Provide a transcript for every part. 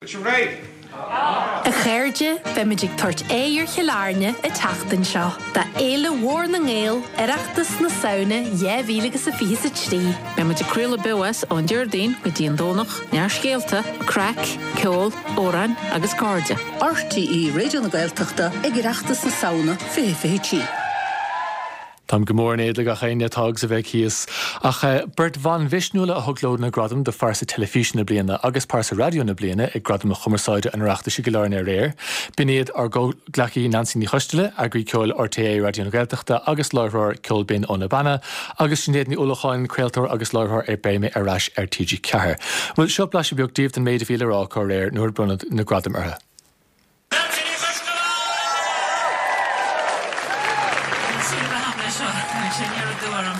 Sibh réidh? A chairde, beimid ag tabhairt aghaidh ar Chill Airne an tseachtain seo do Fhéile Mhór na nGael, Oireachtas na Samhna 2023. Beimid ag craoladh beo as ón Déardaoin go dtí an Domhnach, neart scéalta, craic, ceol, amhráin agus cairde. RTÉ Raidió na Gaeltachta ag Oireachtas na Samhna 2023. Táim go mór in éad le gach éinne atá agus a bheidh thíos. Ach beirt bhan mhisniúla a thug leo na gradaim do Phearsa Teilifíse na Bliana agus Pearsa Raidió na Bliana ag Gradaim Chumarsáide an Oireachtais i gCill Airne aréir. B'in iad ár gcomhghleacaí Neansaí Ní Choisteala, eagraí ceoil RTÉ Raidió na Gaeltachta agus láithreoir Ceol Binn ó Na Beanna, agus Sinéad Ní Uallacháin, craoltóir agus láithreoir ar Beidh Mé Ar Ais ar TG4. Bhuel, seo blaiseadh beag daoibh den méid a bhí le rá acu aréir nuair a bronnadh na gradaim orthu. Neansaí Ní Choisteala! Sin a bheith leis seo, tháinig sé aniar aduaidh orm.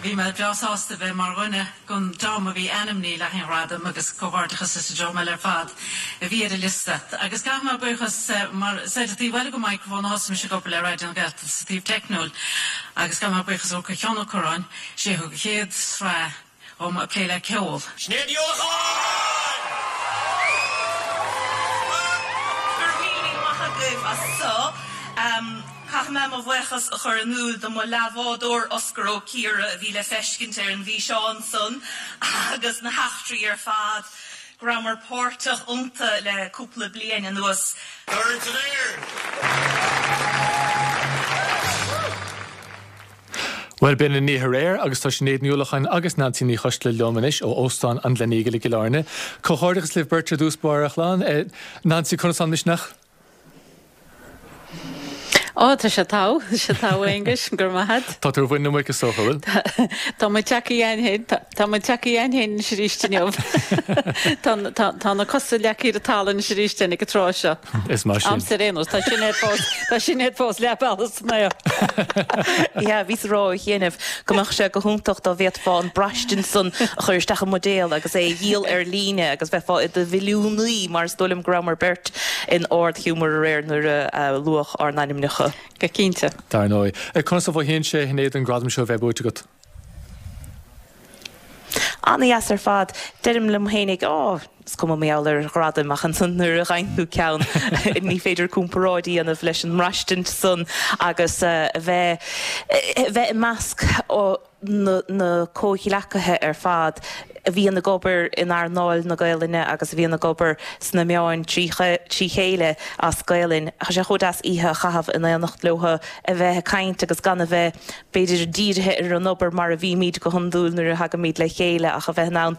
Bhí mé breá sásta bheith mar dhuine den dream a bhí ainmnithe le haghaidh an ghradaim agus comhghairdeachas leis an dream eile ar fad a bhí ar an liosta. Agus caithfidh mé buíochas mar is ar an taobh eile den microphone a thosaigh mise ag obair le Raidió na Gaeltachta sa taobh teicniúil agus caithfidh mé buíochas a thabhairt do Sheán Ó Curráin, sé a thug an chéad sraith dhom ag plé le ceol. Sinéad Ní Uallacháin! Go raibh míle maith agaibh as so. Caithfidh mé mo bhuíochas a chur in iúl do mo leathbhádóir Osgur Ó Ciardha a bhí le feiscint ar an bhfíseán san agus na heachtraí ar fad go rabhamar páirteach iontu le cúpla bliain anuas. Dorn san aer! Bhuel, b'in an oíche aréir agus tá Sinéad Ní Uallacháin agus Neansaí Ní Choisteala liom anois ó Óstán an Gleneagle i gCill Airne. Comhghairdeachas libh beirt ar dtús báire, a chlann. Neansaí, conas tá an misneach? Ó, tá sé togha, tá sé togha, a Aonghuis, go raibh maith a't. Tá tú ar mhuin na muice is dócha, bhfuil? Tá muid tagtha againn féin, tá muid tagtha againn féin anois arís inniu. Tá, tá, tá na cosa leagtha ar an talamh anois arís ag an tráth seo. Is maith sin. Agamsa ar aon nós, tá Sinéad fós, tá Sinéad fós leath bealaigh san aer. Yeah, bhíos ag rá ó chianaibh go mbeadh sé go hiontach dá bhféadfá an braistint san a chur isteach i mbuidéal agus é a dhíol ar líne agus bheifeá i do mhilliúnaí mar is dóigh liom go rabhamar beirt in ard-ghiúmar aréir nuair a luadh ár n-ainmneacha. Go cinnte. Dar ndóigh. Conas a mhothaíonn sé, a Shinéad, an gradam seo a bheith buaite agat? Ana-dheas ar fad. Deirim liom fhéinig, Á, is cuma mar gheall ar ghradaim, ach ansan nuair a fhaigheann tú ceann, ní féidir comparáid a dhéanamh leis an mbraistint san agus a bheith, a bheith i measc na, na comhghleacaithe ar fad a bhíonn ag obair in earnáil na Gaelainne agus a bhíonn ag obair sna meáin trí chéile as Gaelainn. Tá sé chomh deas oíche a chaitheamh in éineacht leo, a bheith ag caint agus gan a bheith b'fhéidir, dírithe ar an obair mar a bhímid go hiondúil nuair a thagaimid le chéile ach a bheith in ann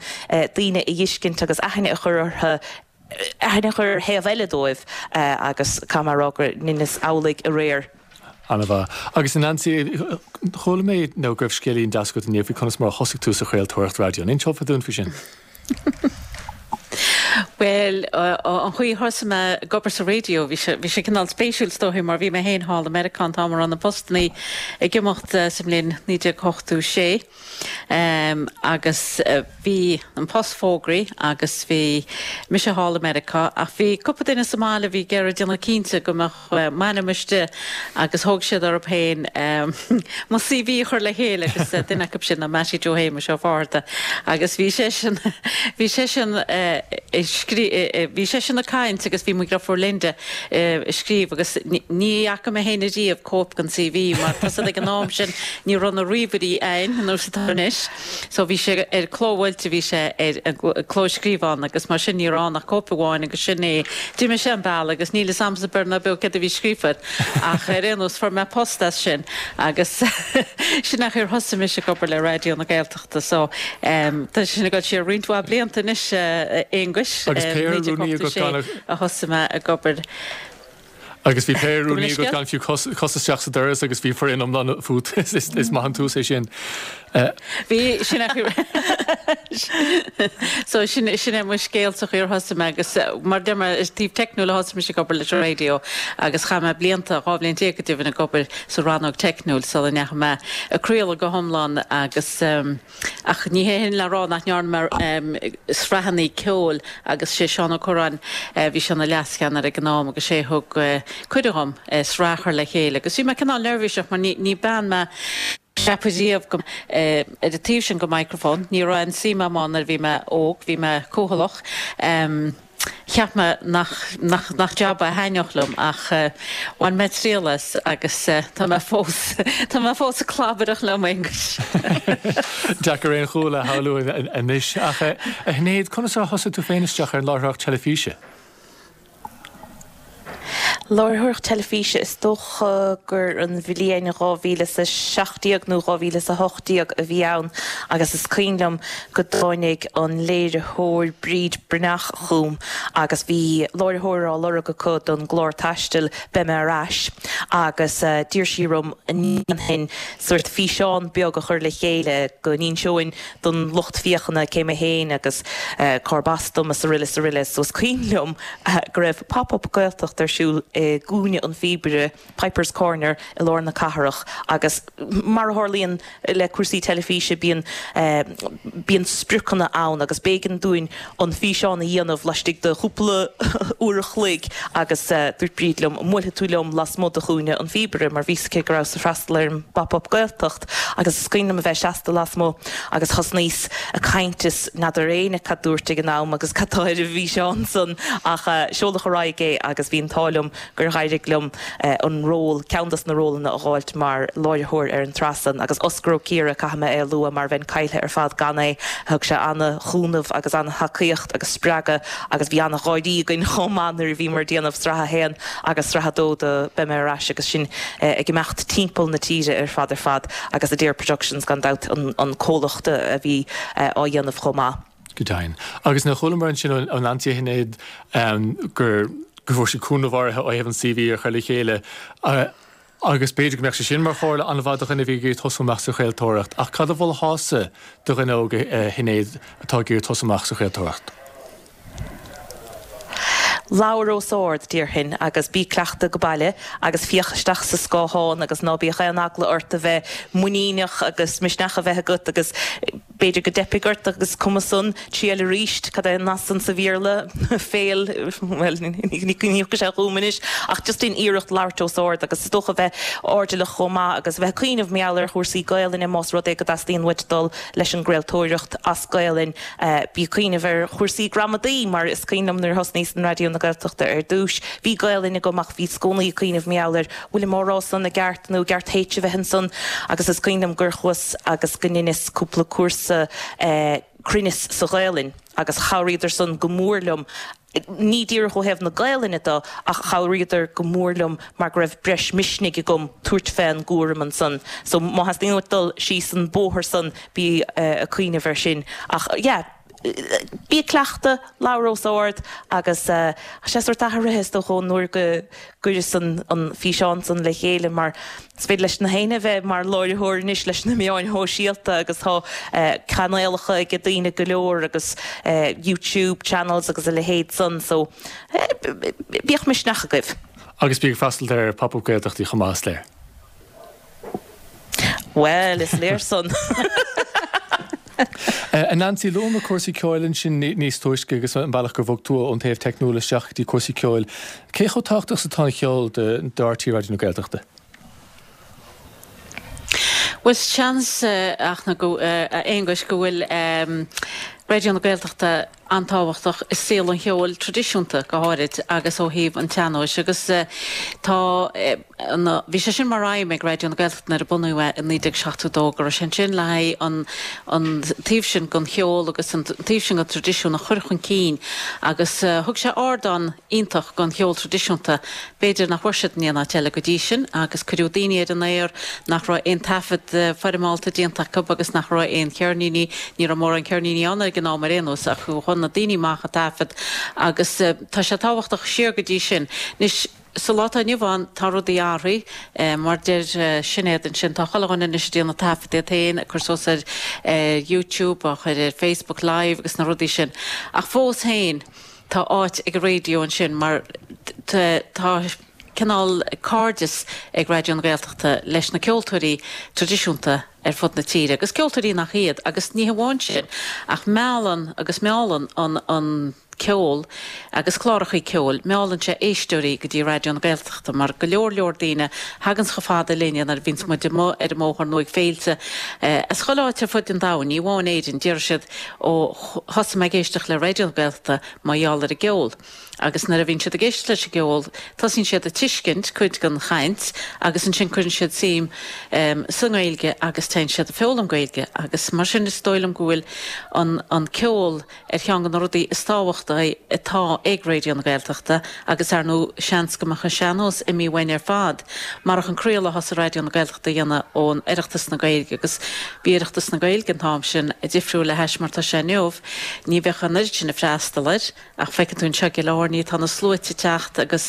daoine a fheiscint agus aithne a chur orthu, aithne a chur ar thaobh eile dóibh agus caithfidh mé a rá go ndeineas amhlaidh aréir. An-mhaith. Agus a Neansaí, chuala mé nó go raibh scéilín deas agat inniu faoi conas mar a thosaigh tú sa chraoltóireacht raidió. An inseofá dúinn faoi sin? Bhuel, an chaoi a thosaigh mé ag obair sa raidió, bhí sé, bhí sé cineál spéisiúil is dóichí mar bhí mé féin thall i Meiriceá an t-am a raibh na postannaí ag imeacht sa mbliain 1986 agus bhí an post fógraithe agus bhí mise thall i Meiriceá ach bhí cúpla duine sa mbaile a bhí ag iarraidh déanamh cinnte go mbeadh m'ainm istigh agus thóg siad orthu féin mo CV a chur le chéile agus duine acu sin ná Mattie Joe Shéamuis Ó Fátharta agus bhí seisean bhí seisean ag scrí bhí seisean ag caint agus bhí mo dhriofúr Linda ag scríobh agus ní fhaca mé féin ariamh cóip den CV mar tá 's agat ag an am sin ní raibh na ríomhairí a'inn ar nós atá anois. So bhí sé ar clóbhuailte, bhí sé ar an clóscríobhán agus mar sin ní raibh ann ach cóip amháin agus sin é. D'imigh sé an bealach agus níl fhios a'msa beir ná beo céard a bhí scríofa air ach ar aon nós fuair mé post as sin agus sin é an chaoi ar thosaigh mise ag obair le Raidió na Gaeltachta so tá sé sin ag dul siar roinnt mhaith blianta anois a Aonghuis, Agus péire rúnaí agat 1986 gan a. a thosaigh mé ag obair. Agus bhí péire rúnaí agat gan fiú cos isteach sa doras agus bhí foireann iomlán fút. Is maith an tús é sin. Bhí, sin é. So sin, sin é mo scéal sa chaoi ar thosaigh mé agus mar a deir mé, is taobh teicniúil a thosaigh mise ag obair leis an raidió agus chaith mé blianta, 12 bhliain go deimhin ag obair sa rannóg teicniúil sula ndeachaigh mé ag craoladh go hiomlán agus, Ach ní hé sin le rá nach ndearna mé sraitheanna ceoil agus sé Seán Ó Curráin, bhí sé ina leascheannaire ag an am agus sé a thug cuireadh dhom sraith a chur le chéile agus bhí mé cineál neirbhíseach mar ní bean mé a cheapfadh riamh go ar an taobh sin den microphone. Ní raibh aon suim agam ann nuair a bhí mé óg, bhí mé cúthaileach. Cheap mé nach, nach, nach jab é a thaitneodh liom ach bhain mé triail as agus tá mé fós, tá mé fós ag clabaireacht liom, a Aonghuis. Deacair aon chúl a shamhlú anois. Ach a Shinéad, conas ar thosaigh tú féin isteach ar an láithreoireacht teilifíse? Láithreoireacht teilifíse, is dócha gur an bhliain 2017 nó 2018 a bhí ann agus is cuimhin liom go dtáinig an léiritheoir Bríd Breathnach chugam agus bhí láithreoir á lorg acu don gclár taistil Beidh Mé Ar Ais agus d'iarr sí orm an ndéanfainn sórt físeán beag a chur le chéile go n-inseoinn don lucht féachana cé mé féin agus cárb as dom is aroile is aroile. So is cuimhin liom go raibh Pop Up Gaeltacht ar siúl i gCúinne an Phíobaire, Piper's Corner, i lár na cathrach agus mar a tharlaíonn le cúrsaí teilifíse bíonn bíonn spriocanna ann agus b'éigean dúinn an físeán a dhéanamh laistigh de chúpla uair a chloig agus dúirt Bríd liom an mbuailfidh tú liom lasmuigh de Chúinne an Phíobaire mar bhí 's aici go rabhas ag freastal ar an bPop Up Gaeltacht. Agus is cuimhin liom a bheith seasta lasmuigh agus thosnaíos ag caint is n'fheadar éinne cad dúrt ag an am agus cad tá ar an bhfíseán san ach seoladh ar aghaidh é agus bhí an t-ádh liom gur dh'éirigh liom an ról, ceann dos na rólanna a dh'fháilt mar láithreoir ar an tsraith san agus Osgur Ó Ciardha, caithfidh mé é a lua mar bheinn caillthe ar fad gan é, thug sé ana-chúnamh agus ana-thacaíocht agus spreagadh agus bhí ana-gháirí againn chomh maith nuair a bhíomar ag déanamh sraith a haon agus sraith a dó de Beidh Mé Ar Ais agus sinn ag imeacht timpeall na tíre ar fad ar fad agus Adare Productions gan dabht an comhlacht a bhí á dhéanamh chomh maith. Go deimhin. Agus nuair a chualamar ansin ó Nancy a Shinéad gur go bhfuair sí cúnamh áirithe ó thaobh an CV a chur le chéile agus b'fhéidir go mbeadh sé sin mar chomhairle an-mhaith do dhuine a bhí ag iarraidh tosú amach sa chraoltóireacht ach cad a mholfása do dhuine óg a Shinéad atá ag iarraidh tosú amach sa chraoltóireacht? Labhair os ard, déarfainn, agus bí ag cleachtadh go baile agus féach isteach sa scáthán agus ná bíodh aon eagla ort a bheith muiníneach agus misneach a bheith agat agus b'fhéidir go dteipfidh ort agus cuma san, triail arís, cad é an nath san sa Bhéarla? fail, bhuel, ní thiocfaidh sé chugam anois ach just déan iarracht labhairt os ard agus is dócha bheith airdeallach chomh maith agus a bheith ag cuimhneamh mar gheall ar chúrsaí Gaelainne más rud é go dteastaíonn uait dul leis an gcraoltóireacht as Gaelainn. Bí ag cuimhneamh ar chúrsaí gramadaí mar is cuimhin liom nuair a thosnaíos in Raidió na Gaeltachta ar dtús, bhí Gaelainn agam ach bhíos i gcónaí ag cuimhneamh mar gheall ar bhfuilim á rá san i gceart nó i gceart H a bheith ansan agus is cuimhin liom gur chuas agus go ndeineas cúpla cúrsa cruinneas sa Ghaelainn agus chabhraíodar san go mór liom ní díreach ó thaobh na Gaelainne de ach chabhraíodar go mór liom mar go raibh breis misnigh agam tabhairt fén gcúram ansan. So má theastaíonn uait dul síos an bóthar san bí ag cuimhneamh air sin. Ach yeah, bí ag cleachtadh, labhair os ard agus tá sé sórt athraithe is dócha ón uair go gcuireas an físeán san le chéile mar is féidir leis na héinne a bheith mar láithreoir anois leis na meáin shóisialta agus tá cainéalacha ag daoine go leor agus YouTube channels agus a leithéid san so bíodh misneach agaibh. Agus bí ag freastal ar Pop Up Gaeltachtaí chomh maith, is léir. Bhuel, is léir san. A Nancy, luamar cúrsaí ceoil ansin níos túisce agus an bealach gur bhog tú ón taobh teicniúil isteach go dtí cúrsaí ceoil. Cé chomh tábhachtach is atá an cheol do RTÉ Raidió na Gaeltachta? Bhuel, seans, a Aonghuis, go bhfuil Raidió na Gaeltachta an-tábhachtach i saol an cheoil traidisiúnta go háirid agus ó thaobh an tsean-nóis agus tá bhí sé sin mar aidhm ag Raidió na Gaeltachta nuair a bunaíodh é i 1972 go raibh sé ansin le haghaidh an an taobh sin den cheol agus an taobh sin den traidisiún a chur chun cinn agus thug sé ardán iontach don cheol traidisiúnta b'fhéidir nach bhfuair siad in aon áit eile go dtí sin agus cuireadh daoine ar an aer nach raibh aon taifead foirmeálta déanta acu agus nach raibh aon cheirníní, ní raibh mórán ceirníní ann ag an am ar aon nós, ach chuaigh na daoine amach ag taifead agus tá sé tábhachtach siar go dtí sin. Anois, sa lá atá inniu ann, tá rudaí athraithe, mar deir Sinéad ansin, tá chuile dhuine anois ag déanamh taifead iad féin, ag cur suas ar YouTube, á chur ar Facebook Live agus na rudaí sin. Ach fós féin, Tá áit ag an raidió ansin mar tá cineál cairdeas ag Raidió na Gaeltachta leis na ceoltóirí traidisiúnta ar fud na tíre agus ceoltóirí nach iad agus ní hamháin sin ach meallann agus meallann an an. Ceol agus clárachaí ceoil, meallann sé éisteoirí go dtí Raidió na Gaeltachta mar go leor leor daoine thaganns chomh fada linne nuair a bhíonns muid amuigh ar an mbóthar nó ag féilte as chuile áit ar fud an domhain, ní amháin Éirinn, déarfaidh siad ó thosaigh mé ag éisteacht le Raidió na Gaeltachta mar gheall ar an gceol. Agus nuair a bhíonn siad ag éisteacht leis an gceol tosaíonn siad ag tuiscint cuid den chaint agus ansin cuireann siad suim sa nGaeilge agus téann siad ag foghlaim Gaeilge agus mar sin is dóigh liom go bhfuil an an ceol ar cheann de na rudaí is tábhachtaí atá ag Raidió na Gaeltachta agus ar ndóigh seans go mbeadh an sean-nós imithe uainn ar fad marach an craoladh a thosaigh Raidió na Gaeltachta a dhéanamh ón Oireachtas na Gaeilge agus bhí Oireachtas na Gaeilge an t-am sin difriúil le hais mar tá sé inniu. Ní bheadh an oiread sin ag freastal air ach feiceann tú anseo i gCill Airne tá na sluaite ag teacht agus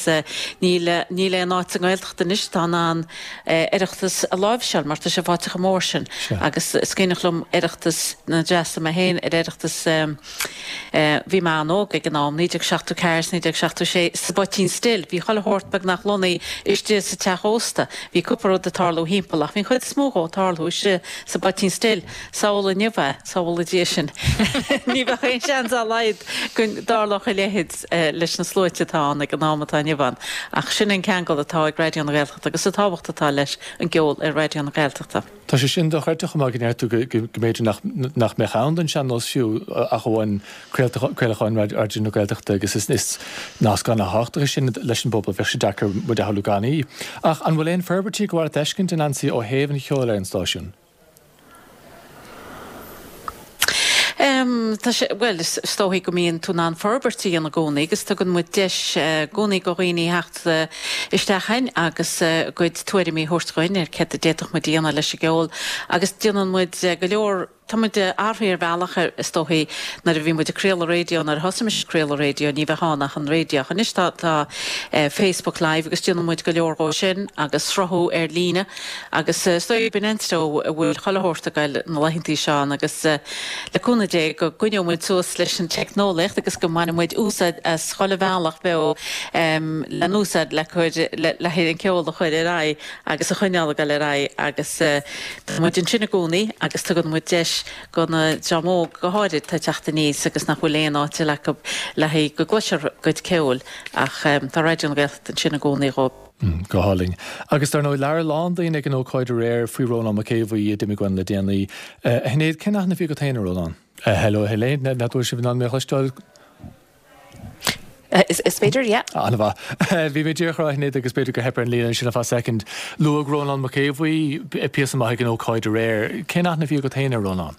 níl níl aon áit sa nGaeltacht anois atá in ann Oireachtas a láimhseáil mar tá sé fáite chomh mór sin agus is cuimhneach liom Oireachtas nuair a d'fhreastail mé féin ar Oireachtas bhí mé an-óg ag an am, 1974 is 1976, sa Phoitín Stil. Bhí chuile shórt beagnach lonnaithe istigh sa teach ósta. Bhí cúpla rud ag tarlú thimpeall ach bhí an chuid is mó dhó ag tarlú istigh sa bPoitín Stil. Samhlaigh inniu é, sábhála Dia sinn. Ní bheadh aon seans dá laghad go dtarlódh a leithéid leis na sluaite atá ann ag an am atá inniu ann. Ach sin an ceangal atá ag Raidió na Gaeltachta agus an tábhacht atá leis an gceol ar Raidió na Gaeltachta. Tá sé sin dochreidte chomh maith go ndeir tú go mb'fhéidir nach mbeadh ann don sean-nós fiú ach amháin craolacháin Raidió na Gaeltachta agus is nasc an-tábhachtach é sin leis an bpobal, bheadh sé deacair muid a shamhlú gan í. Ach an bhfuil aon forbairtí gur mhaith leat a fheiscint, a Neansaí, ó thaobh an cheoil ar an stáisiún? Tá sé, bhuel, is dóigh go mbíonn tú in ann forbairt a dhéanamh i gcónaí agus tugann muid deis i gcónaí do dhaoine theacht isteach chugainn agus a gcuid tuairimí a thabhairt dhuinn ar céard a d'fhéadfadh muid a dhéanamh leis an gceol agus déanann muid go leor, tá muid athraithe ar bhealach is dóigh nuair a bhí muid ag craoladh raidió, nuair a thosaigh mise ag craoladh raidió ní bheadh ann ach an raidió ach anois tá tá Facebook Live agus déanann muid go leor dhó sin agus sruthú ar líne. Agus is dóigh gurb in an treo a bhfuil chuile shórt ag goil na laethantaí seo ann agus le cúnamh Dé go gcoinneoidh muid suas leis an teicneolaíocht agus go mbainfidh muid úsáid as chuile bhealach beo le n-úsáid le cur le haghaidh an ceol a chur ar aghaidh agus a choinneáil ag goil ar aghaidh agus tá muid ansin i gcónaí agus tugann muid deis go na dream óg go háirid atá ag teacht aníos agus nach bhfuil aon áit eile acu le haghaidh go gcloisfear a gcuid ceoil ach tá Raidió na Gaeltachta ansin i gcónaí dhóibh. Go hálainn. Agus dar ndóigh, labhair a lán daoine ag an ócáid aréir faoi Rónán Mac Aodha Bhuí a d'imigh uainn le déanaí. A Shinéad, cén aithne a bhí agat féin ar Rónán? Hello, a Shinéad, n'fheadar an bhfuil sibh in ann mé a chloisteáil? Is féidir, yeah. An-mhaith. Bhí mé díreach a rá, a Shinéad, agus b'fhéidir gur theip ar an líne ansin ar feadh soicind. Luadh Rónán Mac Aodha Bhuí píosa maith ag an ócáid aréir. Cén aithne a bhí agat féin ar Rónán?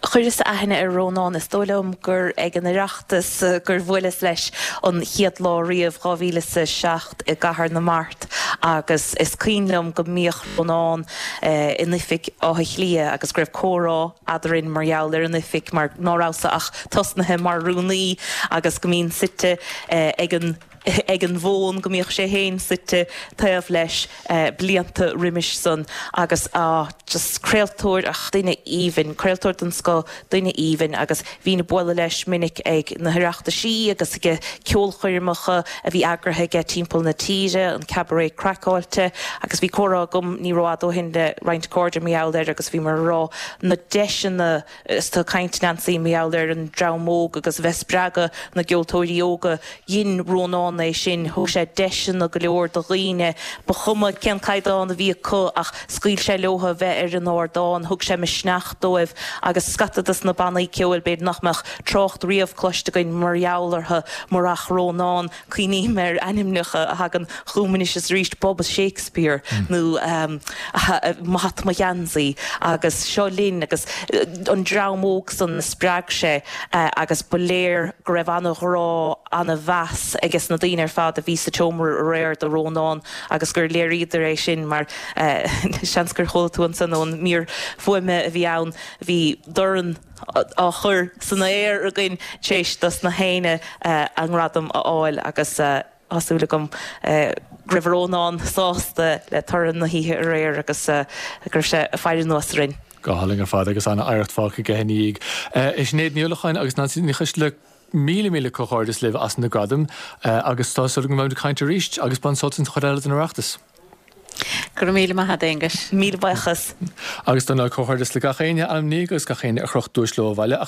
Chuireas aithne ar Rónán, is dóigh liom gur ag an Oireachtas gur bhuaileas leis an chéad lá riamh, 2007 i gCathair na Mart agus is cuimhin liom go mbíodh Rónán in oifig Átha Cliath agus go raibh comhrá eadrainn mar gheall ar an oifig mar ná rabhas-sa ach tosnaithe mar rúnaí agus go mbínn suite ag an ag an bhfón go mbíodh sé féin suite taobh leis blianta roimis san agus ah just craoltóir ach duine aoibhinn, craoltóir den scoth, duine aoibhinn agus bhínn ag bualadh leis minic ag na hOireachtaisí agus ag ceolchoirmeacha a bhí eagraithe aige timpeall na tíre, an Cabaret Craiceáilte agus bhí comhrá agam ní rófhada ó shin le roinnt cairde mar gheall air agus bhíomar ag rá na deiseanna Is tú ag caint, Neansaí, mar gheall ar an dream óg agus a bheith ag spreagadh na gceoltóirí óga. Dhein Rónán é sin. Thug sé deiseanna go leor do dhaoine. Ba chuma cén caighdeán a bhí acu ach scaoil sé leo a bheith ar an ardán. Thug sé misneach dóibh agus scata dos na bannaí ceoil b'fhéidir nach mbeadh trácht riamh cloiste againn mar gheall orthu murach Rónán. Cuimhním ar ainmneacha a thagann chugam anois is arís, Bubba Shakespeare nó Mo Hata Mo Gheansaí agus Seo Linn agus an dream óg san a spreag sé agus ba léir go raibh ana-ghrá, ana-mheas aige sna daoine ar fad a bhí sa tseomra aréir do Rónán agus gur léiríodar é sin mar seans gur chuala tú ansan ón mír fuaime a bhí ann, bhí dorn. á chur san aer againn tar éis dos na héinne a ngradam a fháil agus tá súil agam go raibh Rónán sásta le toradh na hoíche aréir agus go raibh sé ag faire anuas orainn. Go hálainn ar fad agus an-oidhreacht fágtha aige ina dhiaidh. A Shinéad Ní Uallacháin agus Neansaí Ní Choisdealbha, míle míle comhghairdeas libh as na gradaim agus tá súil agam go mbeimid ag caint arís agus bain sult as an chuid eile den Oireachtas. Go raibh míle maith agat, Aonghus. Míle buíochas. Agus dar ndóigh comhghairdeas le gach éinne a ainmníodh agus gach éinne a chroch duais leo abhaile.